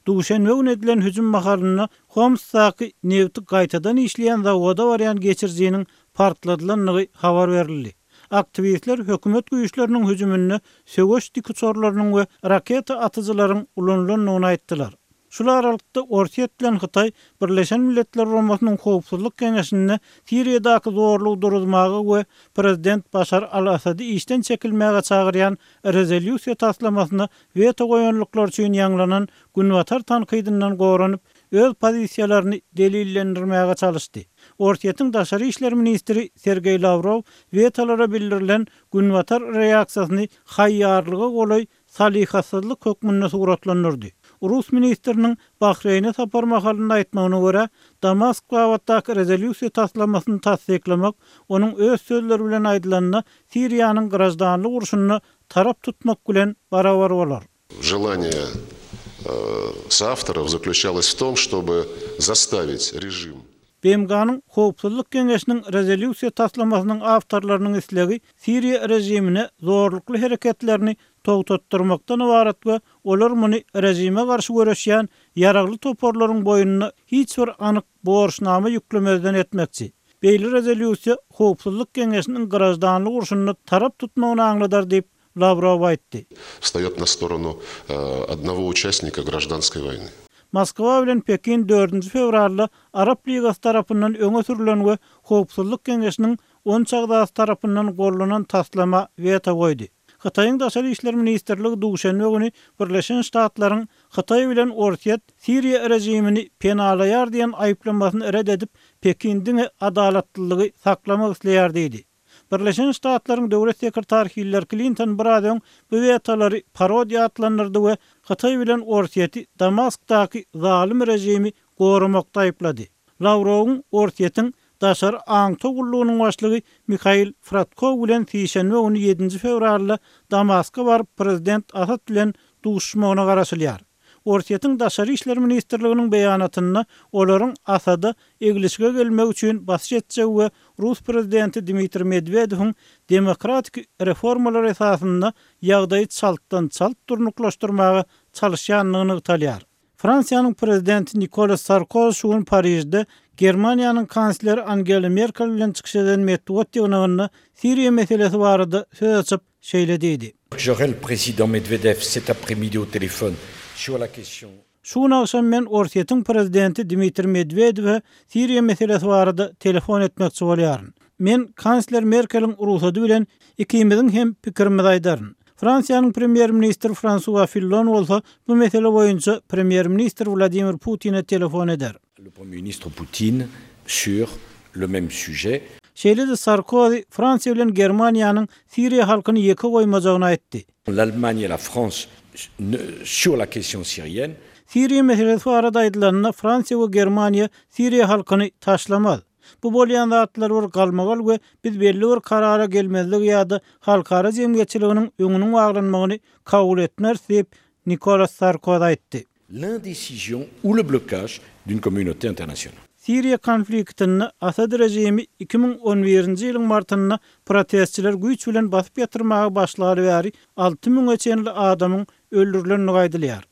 Duşenbe güni edilen hüjüm mahalynda Homsdaky nebti gaýtadan işleýän zawoda barýan geçirijiniň partladylandygy habar berildi. Aktiwistler hökümet güýçleriniň hüjüminde söweş dikuçarlarynyň we raketa atyjylaryň ulanylandygyny aýtdylar. Şul aralykda, Orsýet bilen Hytaý Birleşen Milletler Guramasynyň Howpsuzlyk Geňeşinde Siriýadaky zorlugy duruzmaga we prezident Başar al-Assady işden çekilmäge çagyrýan rezolýusiýa taslamasyna weto goýanlyklary üçin ýaňlanan Günbatar tankydyndan goranyp, öz pozisiýalaryny delillendirmäge çalyşdy. Orsýetiň daşary işler ministri Sergeý Lawrow wetolara bildirilen Günbatar reaksiýasyny haýýarlyga golaý salyhatsyzlyk hökmünde suratlandyrdy. Rus ministriniň Bahreýne sapar mahalynda aýtmagyna görä, Damask babatdaky rezolýusiýa taslamasyny tassyklamak, onuň öz sözleri bilen aýdylanda, Siriýanyň graždanlyk urşunda tarap tutmak bilen barabar bolar. Желание соавторов заключалось в том, чтобы заставить режим. BMG-niň Howpsuzlyk Geňeşiniň rezolýusiýa taslamasynyň awtorlarynyň islegi Siriýa režimine zorlukly hereketlerini togtatdyrmakdan ybarat we olar muny režime garşy göreşýän ýaragly toparlaryň boýnuna hiç bir anyk borçnama ýüklemezden etmekçi. Beýle rezolýusiýa Howpsuzlyk Geňeşiniň graždanlyk urşunda tarap tutmagyny aňladar diýip, Lawrow aýtdy. Wstaýot na storonu odnogo uçastnika graždanskoý woýny. Moskwa bilen Pekin dördünji fewralda Arap Ligasy tarapyndan öňe sürlen we Howpsuzlyk Geňeşiniň on üç agzasy tarapyndan gollanan taslama weto goýdy. Hytaýyň Daşary işler ministrligi duşenbe güni Birleşen Ştatlaryň Hytaý bilen Orsýet Siriýa režimini penalaýar diýen aýyplamasyny ret edip, Pekin diňe adalatlylygy saklamak isleýär diýdi. Birleşen Ştatlaryň Döwlet sekretary Hillari Klinton biraz öň bu wetolary parodiýa atlandyrdy we Hytaý bilen Orsýeti Damaskdaky zalym režimi goramakda aýyplady. Lawrowyň Orsýetiň Daşary aňtaw gullugynyň başlygy Mihail Fradkow bilen sişenbe güni ýedinji fewralda Damaska baryp prezident Asad bilen duşuşmagyna garaşylýar. Orsýetiň Daşary işler ministrliginiň beýanatynda olaryň Asada eglişige gelmegi üçin basyş etjegi we rus prezidenti Dmitriý Medwedewiň demokratik reformalar esasynda ýagdaýy çaltdan-çalt durnuklaşdyrmaga çalyşýandygy nygtalýar. Fransiýanyň prezidenti Nikolas Sarkozy şu gün Parižde Germaniýanyň kansleri Angela Merkel bilen çykyş eden metbugat ýygnagynda Siriýa meselesi barada söz açyp, şeýle diýdi. J'aurai le président Medvedev cet après-midi au téléphone sur la question. Şu gün agşam men Orsýetiň prezidenti Dmitriý Medwedewe Siriýa meselesi barada telefon etmekçi bolýaryn. Men kansler Merkeliň rugsady bilen ikimiziň hem pikirimizi aýdaryn. Fransiýanyň premýer-ministri Fransua Fillon bolsa bu mesele boýunça premýer-ministr Wladimir Putine telefon eder. Le Premier ministre Poutine sur le même sujet. Şeýle-de Sarkozy Fransiýa bilen Germaniýanyň siriýa halkyny ýeke goýmajagyny aýtdy. L'Allemagne et la France sur la question syrienne. Siriýa meselesi barada aýdylanda, Fransiýa we Germaniýa siriýa halkyny taşlamaz. Bu bolýan zatlar bir galmagal we biz belli bir karara gelmezligi ýa-da halkara jemgyýetçiliginiň öňüniň baglanmagyny kabul etmeris diýip, Nikolas Sarkozy aýtdy. L'indécision ou le blocage d'une communauté internationale. Siriýa konfliktinde Asad režimi 2011-nji ýylyň martynda protestçileri güýç bilen basyp ýatyrmaga başlaly bäri alty müňe çenli adamyň öldürilendigi aýdylýar.